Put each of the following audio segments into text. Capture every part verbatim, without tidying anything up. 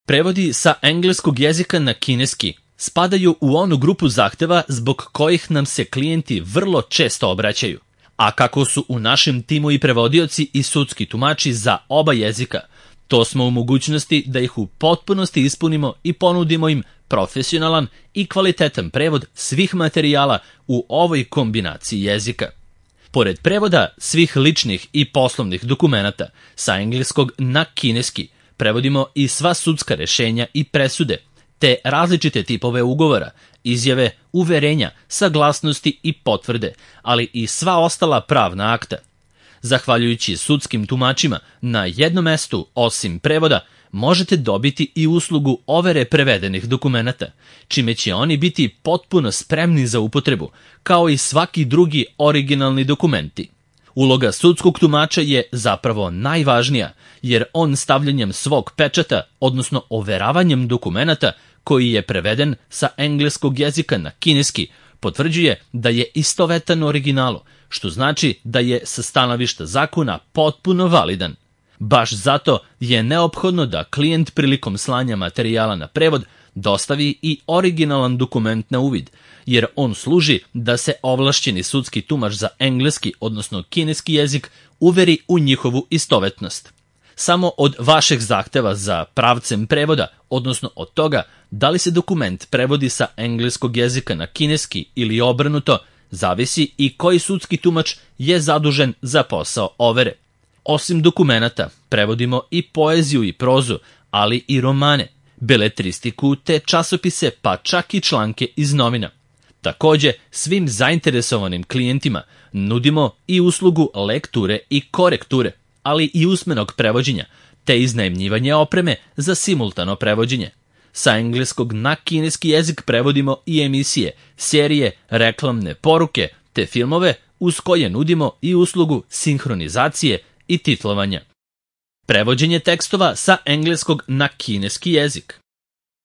Prevodi sa engleskog jezika na kineski spadaju u onu grupu zahteva zbog kojih nam se klijenti vrlo često obraćaju. A kako su u našem timu i prevodioci i sudski tumači za oba jezika, to smo u mogućnosti da ih u potpunosti ispunimo i ponudimo im profesionalan i kvalitetan prevod svih materijala u ovoj kombinaciji jezika. Pored prevoda svih ličnih i poslovnih dokumenata sa engleskog na kineski, prevodimo i sva sudska rešenja i presude, te različite tipove ugovora, izjave, uverenja, saglasnosti i potvrde, ali i sva ostala pravna akta. Zahvaljujući sudskim tumačima, na jednom mestu, osim prevoda, možete dobiti i uslugu overe prevedenih dokumenata, čime će oni biti potpuno spremni za upotrebu, kao i svaki drugi originalni dokumenti. Uloga sudskog tumača je zapravo najvažnija, jer on stavljanjem svog pečata, odnosno overavanjem dokumenata koji je preveden sa engleskog jezika na kineski, potvrđuje da je istovetan originalu, što znači da je sa stanovišta zakona potpuno validan. Baš zato je neophodno da klijent prilikom slanja materijala na prevod dostavi i originalan dokument na uvid, jer on služi da se ovlašćeni sudski tumač za engleski, odnosno kineski jezik, uveri u njihovu istovetnost. Samo od vašeg zahteva za pravcem prevoda, odnosno od toga da li se dokument prevodi sa engleskog jezika na kineski ili obrnuto, zavisi i koji sudski tumač je zadužen za posao overe. Osim dokumenata, prevodimo i poeziju i prozu, ali i romane, beletristiku te časopise, pa čak i članke iz novina. Takođe, svim zainteresovanim klijentima nudimo i uslugu lekture i korekture, ali i usmenog prevođenja, te iznajmljivanje opreme za simultano prevođenje. Sa engleskog na kineski jezik prevodimo i emisije, serije, reklamne poruke, te filmove uz koje nudimo i uslugu sinhronizacije i titlovanja. Prevođenje tekstova sa engleskog na kineski jezik.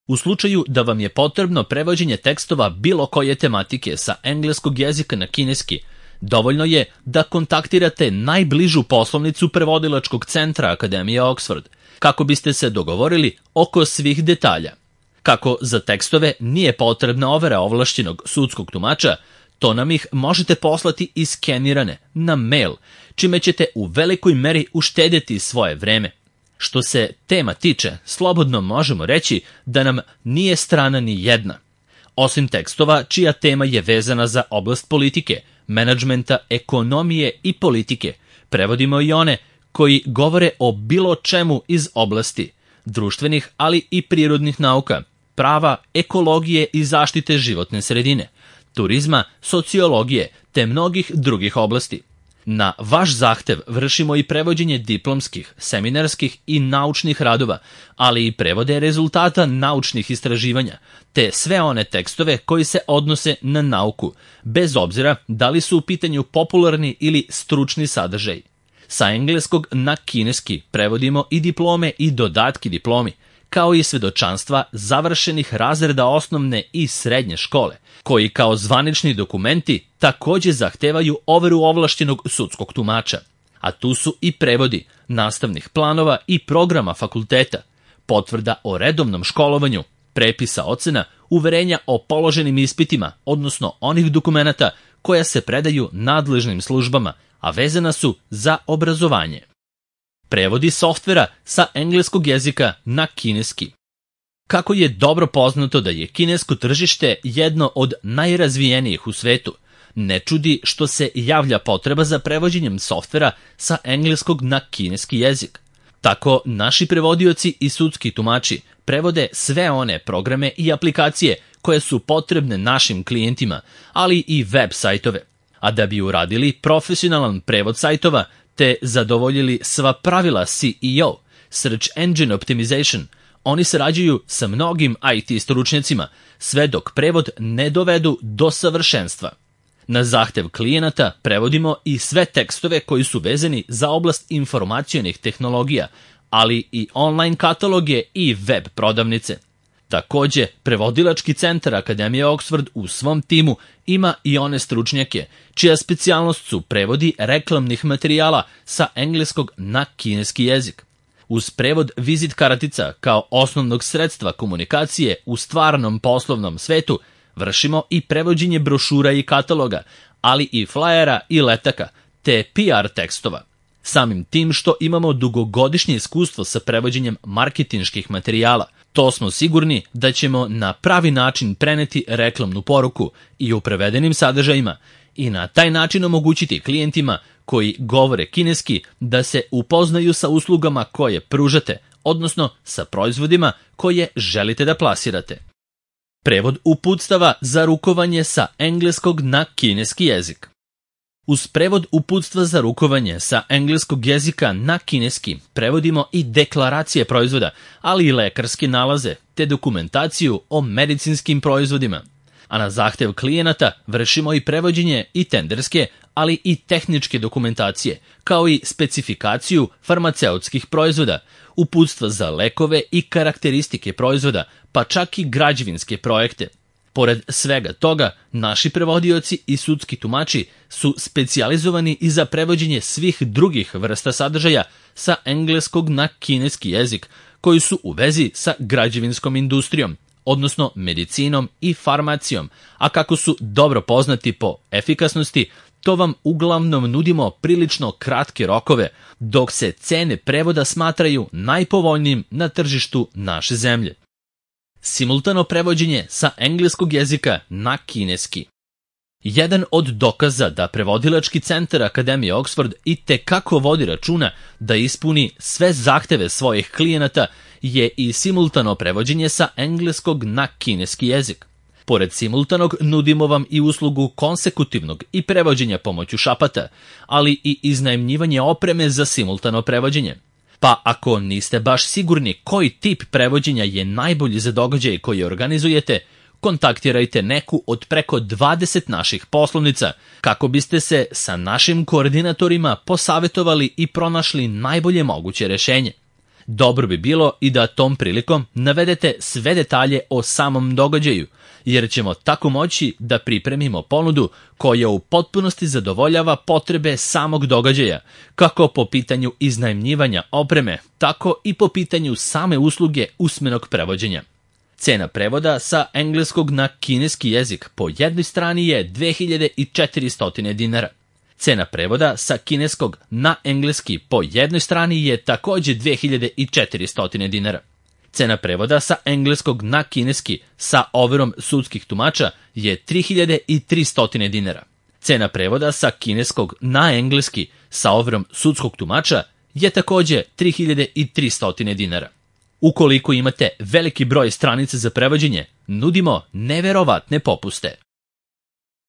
U slučaju da vam je potrebno prevođenje tekstova bilo koje tematike sa engleskog jezika na kineski, dovoljno je da kontaktirate najbližu poslovnicu prevodilačkog centra Akademije Oxford, kako biste se dogovorili oko svih detalja. Kako za tekstove nije potrebna overa ovlašćenog sudskog tumača, to nam ih možete poslati iskenirane na mail, čime ćete u velikoj meri uštedjeti svoje vreme. Što se tema tiče, slobodno možemo reći da nam nije strana ni jedna. Osim tekstova čija tema je vezana za oblast politike, menadžmenta, ekonomije i politike, prevodimo i one koji govore o bilo čemu iz oblasti društvenih, ali i prirodnih nauka, prava, ekologije i zaštite životne sredine, turizma, sociologije te mnogih drugih oblasti. Na vaš zahtev vršimo i prevođenje diplomskih, seminarskih i naučnih radova, ali i prevode rezultata naučnih istraživanja, te sve one tekstove koji se odnose na nauku, bez obzira da li su u pitanju popularni ili stručni sadržaj. Sa engleskog na kineski prevodimo i diplome i dodatki diplomi, kao i svedočanstva završenih razreda osnovne i srednje škole, koji kao zvanični dokumenti takođe zahtevaju overu ovlašćenog sudskog tumača. A tu su i prevodi nastavnih planova i programa fakulteta, potvrda o redovnom školovanju, prepisa ocena, uverenja o položenim ispitima, odnosno onih dokumenata koja se predaju nadležnim službama, a vezana su za obrazovanje. Prevodi softvera sa engleskog jezika na kineski. Kako je dobro poznato da je kinesko tržište jedno od najrazvijenijih u svetu, ne čudi što se javlja potreba za prevođenjem softvera sa engleskog na kineski jezik. Tako naši prevodioci i sudski tumači prevode sve one programe i aplikacije koje su potrebne našim klijentima, ali i web sajtove. A da bi uradili profesionalan prevod sajtova te zadovoljili sva pravila S E O, Search Engine Optimization, oni sarađuju sa mnogim I T stručnjacima, sve dok prevod ne dovedu do savršenstva. Na zahtev klijenata prevodimo i sve tekstove koji su vezani za oblast informacionih tehnologija, ali i online kataloge i web prodavnice. Takođe, prevodilački centar Akademije Oxford u svom timu ima i one stručnjake, čija specijalnost su prevodi reklamnih materijala sa engleskog na kineski jezik. Uz prevod vizit kartica kao osnovnog sredstva komunikacije u stvarnom poslovnom svetu, vršimo i prevođenje brošura i kataloga, ali i flajera i letaka, te P R tekstova. Samim tim što imamo dugogodišnje iskustvo sa prevođenjem marketinških materijala, to smo sigurni da ćemo na pravi način preneti reklamnu poruku i u prevedenim sadržajima i na taj način omogućiti klijentima koji govore kineski da se upoznaju sa uslugama koje pružate, odnosno sa proizvodima koje želite da plasirate. Prevod uputstava za rukovanje sa engleskog na kineski jezik. Uz prevod uputstva za rukovanje sa engleskog jezika na kineski prevodimo i deklaracije proizvoda, ali i lekarske nalaze te dokumentaciju o medicinskim proizvodima. A na zahtev klijenata vršimo i prevođenje i tenderske, ali i tehničke dokumentacije, kao i specifikaciju farmaceutskih proizvoda, uputstva za lekove i karakteristike proizvoda, pa čak i građevinske projekte. Pored svega toga, naši prevodioci i sudski tumači su specijalizovani i za prevođenje svih drugih vrsta sadržaja sa engleskog na kineski jezik, koji su u vezi sa građevinskom industrijom, odnosno medicinom i farmacijom, a kako su dobro poznati po efikasnosti, to vam uglavnom nudimo prilično kratke rokove, dok se cene prevoda smatraju najpovoljnijim na tržištu naše zemlje. Simultano prevođenje sa engleskog jezika na kineski. Jedan od dokaza da prevodilački centar Akademije Oxford i tekako vodi računa da ispuni sve zahteve svojih klijenata je i simultano prevođenje sa engleskog na kineski jezik. Pored simultanog nudimo vam i uslugu konsekutivnog i prevođenja pomoću šapata, ali i iznajmljivanje opreme za simultano prevođenje. Pa ako niste baš sigurni koji tip prevođenja je najbolji za događaj koji organizujete, kontaktirajte neku od preko dvadeset naših poslovnica kako biste se sa našim koordinatorima posavetovali i pronašli najbolje moguće rešenje. Dobro bi bilo i da tom prilikom navedete sve detalje o samom događaju, jer ćemo tako moći da pripremimo ponudu koja u potpunosti zadovoljava potrebe samog događaja, kako po pitanju iznajmljivanja opreme, tako i po pitanju same usluge usmenog prevođenja. Cena prevoda sa engleskog na kineski jezik po jednoj strani je dve hiljade četiristo dinara. Cena prevoda sa kineskog na engleski po jednoj strani je takođe dve hiljade četiristo dinara. Cena prevoda sa engleskog na kineski sa overom sudskih tumača je tri hiljade tristo dinara. Cena prevoda sa kineskog na engleski sa overom sudskog tumača je takođe tri hiljade tristo dinara. Ukoliko imate veliki broj stranica za prevođenje, nudimo neverovatne popuste.